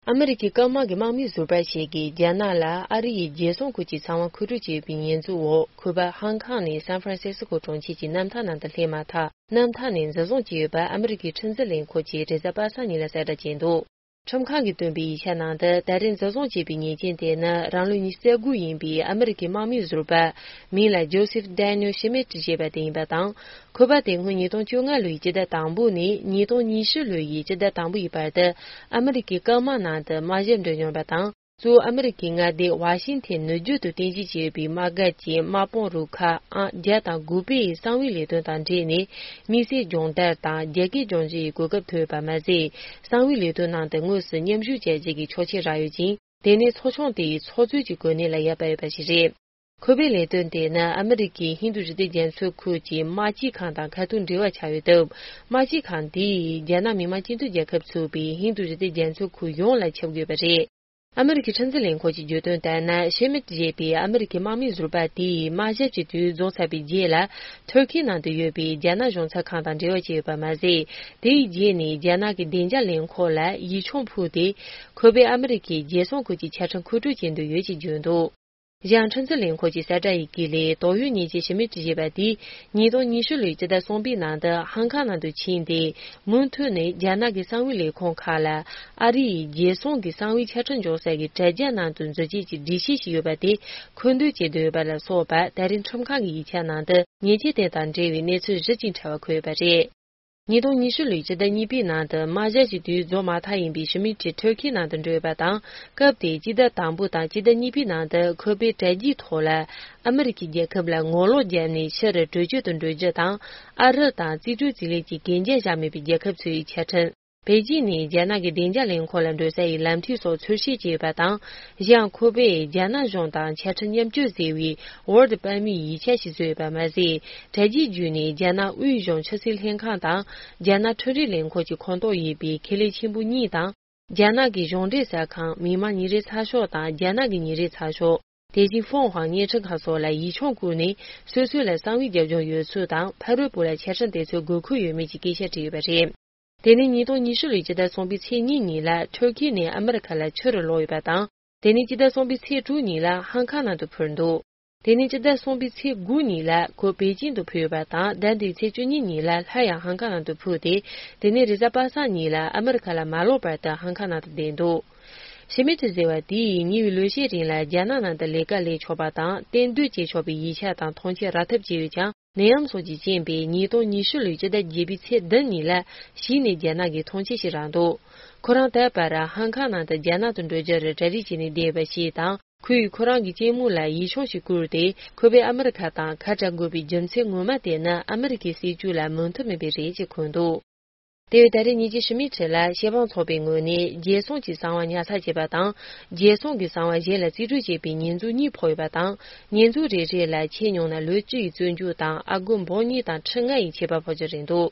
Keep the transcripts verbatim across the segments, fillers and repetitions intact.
ཨ་མི་རི་ཀའི་སྐམ་དམག་གི་དམག་མི་ཟུར་པ་ཞིག་གིས་རྒྱ་ནག་ལ་ཨ་རི་ཡིས་རྒྱལ་སྲུང་ཁུལ་གྱི་ཚོང་པ་མཁོ་སྤྲོད་བྱས་ཡོད་པའི་ཉེས་འཛུགས་འོག་ཁོ་པ་ཧང་ཀང་ནས་སན་ཧྥ་རན་སི་སི་ཀོ་གྲོང་ཁྱེར་གྱི་གནམ་ཐང་ནང་དུ་སླེབས་མ་ཐག་གནམ་ཐང་ནས་འཛིན་བཟུང་བྱས་ཡོད་པ་ཨ་མི་རི་ཀའི་ཁྲིམས་འཛིན་ལས་ཁུངས་ཀྱིས་རེས་གཟའ་པ་སངས་ཉིན་ལ་གསལ་བསྒྲགས་བྱས་འདུག་ཁྲིམས་ཁང་གིས་བཏོན་པའི་ཡིག་ཆ་ནང་དུ་ད་རེས་འཛིན་བཟུང་བྱས་པའི་ཉེས་ཅན་དེ་ནི་རང་ལོ་ཉི་ཤུ་རྩ་དགུ་ཡིན་པའི་ཨ་མི་རི་ཀའི་དམག་མི་ཟུར་པ་མིང་ལ་ཇོ་སེབ་ཌེ་ནིལ་ཤི་མིད་ཅེས་པ་དེ་ཡིན་པ་དང་། ཁོ་པ་དེ་སྔོན་ཉིས་སྟོང་བཅོ་ལྔ་ལོའི་སྤྱི་ཟླ་དང་པོ་ནས་ཉིས་སྟོང་ཉི་ཤུ་ལོའི་སྤྱི་ཟླ་དང་པོ་ཡི་བར་དུ་ཨ་མི་རི་ཀའི་སྐམ་དམག་ནང་དུ་དམག་ཞབས་འགྲིམས་མྱོང་བ་དང་། གཙོ་བོ་ཨ་མི་རི་ཀའི་མངའ་སྡེ་ཝ་ཤིང་ཐན་ནུབ་རྒྱུད་དུ་རྟེན་གཞི་བྱས་ཡོད་པའི་དམག་སྒར་གྱི་དམག་དཔུང་རུ་ཁག་ཨང་བརྒྱ་དང་དགུ་པའི་གསང་བའི་ལས་དོན་དང་འབྲེལ་ནས་དམིགས་བསལ་སྦྱོང་བརྡར་དང་རྒྱ་སྐད་སྦྱོང་རྒྱུ་ཡི་གོ་སྐབས་ཐོབ་ཡོད་པ་མ་ཟད། གསང་བའི་ལས་དོན་ནང་དུ་དངོས་སུ་མཉམ་ཞུགས་བྱ་རྒྱུ་གི་ཆོག་མཆན་རག་ཡོད་ཅིང་། དེ་ནི་ཚོགས་ཆུང་དེའི་ཚོགས་གཙོས་ཀྱི་གོ་གནས་ལ་ཡར་བབས་ཡོད་པ་ཞིག་རེད། ཁོ་པའི་ལས་དོན་དེ་ནི་ཨ་མི་རི་ཀའི་ཧིན་རྡུ་ཞི་བདེ་རྒྱ་མཚོའི་ཁུལ་གྱི་དམག་སྤྱི་ཁང་དང་ཁ་ཐུག་འབྲེལ་བ་ཆགས་ཡོད་སྟབས། དམག་སྤྱི་ཁང་དེས་རྒྱ་ནག་མི་དམངས་སྤྱི་འཐུས་རྒྱལ་ཁབ་ཚུད་པའི་ཧིན་རྡུ་ཞི་བདེ་རྒྱ་མཚོའི་ཁུལ་ཡོངས་ལ་ཁྱབ་དགོས་པ་རེད། ཨ་མི་རི་ཀའི་ཁྲིམས་འཛིན་ལས་ཁུངས་ཀྱིས་བརྗོད་དོན་ལྟར་ན། ཤེ་མིད་ཅེས་པའི་ཨ་མི་རི་ཀའི་དམག་མི་ཟུར་པ་དེས་དམག་ཞབས་ཀྱི་དུས་རྫོགས་ཚར་བའི་རྗེས་ལ། ཐུར་ཁེའི་ནང་དུ་ཡོད་པའི་རྒྱ་ནག་གཞུང་ཚབ་ཁང་དང་འབྲེལ་བ་བྱས་ཡོད་པ་མ་ཟད། དེའི་རྗེས་ནས་རྒྱ་ནག་གི་བདེ་འཇགས་ལས་ཁུངས་ལ་ཡིག་ཆུང་ཕུལ་ཏེ། ཁོ་པས་ཨ་མི་རི་ཀའི་རྒྱལ་སྲུང་ཁུལ་གྱི་ཆ་འཕྲིན་མཁོ་སྤྲོད་བྱེད་འདོད་ཡོད་ཅེས་བརྗོད་འདུག་གཞན། ཁྲིམས་འཛིན་ལས་ཁུངས་ཀྱི་གསལ་བསྒྲགས་ཡི་གེ་ལས། དོགས་ཡོད་ཉེས་ཅན་ཤི་མིད་ཅེས་པ་དེས་ཉིས་སྟོང་ཉི་ཤུ་ལོའི་སྤྱི་ཟླ་གསུམ་པའི་ནང་དུ་ཧང་ཀང་ནང་དུ་ཕྱིན་ཏེ། མུ་མཐུད་ནས་རྒྱ་ནག་གི་གསང་བའི་ལས་ཁུངས་ཁག་ལ་ཨ་རི་ཡི་རྒྱལ་སྲུང་གི་གསང་བའི་ཆ་འཕྲིན་འཇོག་ས་ཀྱི་དྲ་རྒྱ་ནང་དུ་འཛུལ་སྐྱེལ་གྱི་སྒྲིག་གཞི་ཞིག་ཡོད་པ་དེ་མཁོ་འདོན་བྱེད་འདོད་ཡོད་པ་ལ་སོགས་པ། ད་རེས་ཁྲིམས་ཁང་གི་ཡིག་ཆ་ནང་དུ་ཉེས་ཆད་དེ་དང་འབྲེལ་བའི་གནས་ཚུལ་བཞི་ཅིག་འཁྲབ་པ་འཁོད་ཡོད་པ་རེད། ཉིས་སྟོང་ཉི་ཤུ་ལོའི་སྤྱི་ཟླ་གཉིས་པའི་ནང་དུ་དམག་ཞབས་ཀྱི་དུས་རྫོགས་མ་ཐག་ཡིན་པའི་ཤི་མིད་ཀྱིས་ཐུར་ཁེའི་ནང་དུ་འགྲོ་ཡོད་པ་དང་། སྐབས་དེའི་སྤྱི་ཟླ་དང་པོ་དང་སྤྱི་ཟླ་གཉིས་པའི་ནང་དུ་ཁོ་པའི་དྲ་རྒྱའི་ཐོག་ལ་ཨ་མི་རི་ཀའི་རྒྱལ་ཁབ་ལ་ངོ་ལོག་བརྒྱབ་ནས་ཕྱིར་བྲོས་བྱོལ་དུ་འགྲོ་རྒྱུ་དང་། ཨ་རི་དང་རྩིས་སྤྲོད་རྩིས་ལེན་གྱི་གན་རྒྱ་བཞག་མེད་པའི་རྒྱལ་ཁབ་ཚོའི་ཆ་འཕྲིན། པེ་ཅིན་ནས་རྒྱ་ནག་གི་བདེ་འཇགས་ལས་ཁུངས་ལ་འགྲོ་ས་ཡི་ལམ་ཐིག་སོགས་འཚོལ་བཤེར་བྱས་ཡོད་པ་དང་། གཞན་ཁོ་པས་རྒྱ་ནག་གཞུང་དང་ཆ་འཕྲིན་མཉམ་སྤྱོད་ཟེར་བའི་ཝར་ཌི་དཔར་མོའི་ཡིག་ཆ་ཞིག་བཟོས་ཡོད་པ་མ་ཟད། དྲ་རྒྱའི་བརྒྱུད་ནས་རྒྱ་ནག་དབུས་གཞུང་ཕྱི་སྲིད་ལྷན་ཁང་དང་། རྒྱ་ནག་འཕྲུལ་རིག་ལས་ཁུངས་ཀྱི་ཁོངས་གཏོགས་ཡིན་པའི་ཁེ་ལས་ཆེན་པོ་གཉིས་དང་། རྒྱ་ནག་གི་གཞུང་འབྲེལ་གསར་ཁང་མི་དམངས་ཉིན་རེའི་ཚགས་ཤོག་དང་། རྒྱ་ནག་གི་ཉིན་རེའི་ཚགས་ཤོག་དེ་བཞིན་ཧྥོང་ཧྭ་བརྙན་འཕྲིན་ཁང་སོགས་ལ་ཡིག་ཆུང་བསྐུར་ནས། སོ་སོ་ལ་གསང་བའི་རྒྱབ་ལྗོངས་ཡོད་ཚུལ་དང་། ཕ་རོལ་པོ་ལ་ཆ་འཕྲིན་དེ་ཚོའི་དགོས་མཁོ་ཡོད་མེད་ཀྱི་སྐད་ཆ་དྲིས་ཡོད་པ་རེད། དེ་ནི་ཉིས་སྟོང་ཉི་ཤུ་ལོའི་སྤྱི་ཟླ་གསུམ་པའི་ཚེས་གཉིས་ཉིན་ལ་ཐུར་ཁེ་ནས་ཨ་མི་རི་ཁ་ལ་ཕྱིར་ལོག་ཡོད་པ་དང་། དེ་ནི་སྤྱི་ཟླ་གསུམ་པའི་ཚེས་དྲུག་ཉིན་ལ་ཧང་ཀང་ནང་དུ་འཕུར་འདུག་དེ་ནི་སྤྱི་ཟླ་གསུམ་པའི་ཚེས་དགུ་ཉིན་ལ་ཁོ་པེ་ཅིན་དུ་འཕུར་ཡོད་པ་དང་། ཟླ་འདིའི་ཚེས་བཅུ་གཉིས་ཉིན་ལ་སླར་ཡང་ཧང་ཀང་ནང་དུ་འཕུར་ཏེ། དེ་ནི་རེས་གཟའ་པ་སངས་ཉིན་ལ་ཨ་མི་རི་ཁ་ལ་མ་ལོག་བར་དུ་ཧང་ཀང་ནང་དུ་བསྡད་འདུག་ཤི་མིད་ཟེར་བ་དེས་ཉེ་བའི་ལོ་ཤས་རིང་ལ་རྒྱ་ནག་ནང་དུ་ལས་ཀ་ལས་ཆོག་པ་དང་གཏན་སྡོད་བྱེད་ཆོག་པའི་ཡིག་ཆ་དང་ཐོངས་མཆན་རག་ཐབས་བྱས་ཡོད་ཀྱང་། ནད་ཡམས་སོགས་ཀྱི་རྐྱེན་པས་ཉིས་སྟོང་ཉི་ཤུ་ལོའི་སྤྱི་ཟླ་བརྒྱད་པའི་ཚེས་བདུན་ཉིན་ལ་གཞི་ནས་རྒྱ་ནག་གིས་ཐོངས་མཆན་ཞིག་རག་འདུག་ཁོ་རང་ད་བར་ཧང་ཀང་ནང་དུ་རྒྱ་ནག་ཏུ་འགྲོ་རྒྱུར་གྲ་སྒྲིག་བྱས་ནས་བསྡད་པ་ཞིག་དང་། ཁོས་ཁོ་རང་གི་གཅེན་མོ་ལ་ཡིག་ཆུང་ཞིག་བསྐུར་ཏེ། ཁོ་པས་ཨ་མི་རི་ཁ་དང་ཁ་བྲལ་དགོས་པའི་རྒྱུ་མཚན་ངོ་མ་དེ་ནི་ཨ་མི་རི་ཀའི་སྲིད་ཇུས་ལ་མོས་མཐུན་མེད་པས་རེད་ཅེས་འཁོད་འདུག་དེ་བས་ད་རེས་ཉེས་ཅན་ཤི་མིད་ཁྲི་ལ་ཤེས་དཔང་ཚོགས་པའི་ངོས་ནས་རྒྱལ་སྲུང་གི་གསང་བ་ཉར་ཚགས་བྱས་པ་དང་། རྒྱལ་སྲུང་གི་གསང་བ་གཞན་ལ་རྩིས་སྤྲོད་བྱས་པའི་ཉེས་འཛུགས་གཉིས་ཕོག་ཡོད་པ་དང་། ཉེས་འཛུགས་རེ་རེ་ལ་ཆེས་ཉུང་ན་ལོ་བཅུ་ཡི་བཙོན་འཇུག་དང་། ཨ་སྒོར་འབུམ་གཉིས་དང་ཁྲི་ལྔ་ཡི་ཆད་པ་ཕོག་རྒྱུ་རེད་འདུག་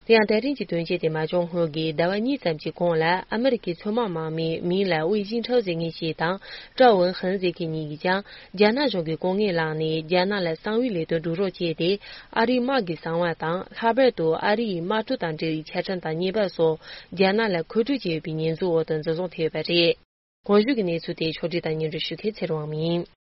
དེ་ཡང་ད་རིང་གི་དོན་རྐྱེན་དེ་མ་བྱུང་སྔོན་གྱི་ཟླ་བ་གཉིས་ཙམ་གྱི་གོང་ལ་ཨ་མི་རི་ཀའི་མཚོ་དམག་དམག་མི་མིང་ལ་ཝེ་ཅིན་ཁྲའོ་ཟེར་མཁན་ཞིག་དང་། ཀྲའོ་ཝུན་ཧན་ཟེར་མཁན་གཉིས་ཀྱིས་ཀྱང་། རྒྱ་ནག་གཞུང་གི་སྐུ་ངལ་བསླངས་ནས་རྒྱ་ནག་ལ་གསང་བའི་ལས་དོན་སྒྲུབ་རོགས་བྱས་ཏེ། ཨ་རིའི་དམག་གི་གསང་བ་དང་། ལྷག་པར་དུ་ཨ་རི་ཡི་དམག་གྲུ་དང་འབྲེལ་བའི་ཆ་འཕྲིན་དང་བརྙན་པར་སོགས་རྒྱ་ནག་ལ་མཁོ་སྤྲོད་བྱས་ཡོད་པའི་ཉེས་འཛུགས་འོག་ཏུ་འཛིན་བཟུང་ཐེབས་ཡོད་པ་རེད། གོང་ཞུས་ཀྱི་གནས་ཚུལ་དེ་ཕྱོགས་སྒྲིག་དང་སྙན་སྒྲོན་ཞུ་མཁན་ཚེ་རིང་དབང་མོ་ཡིན།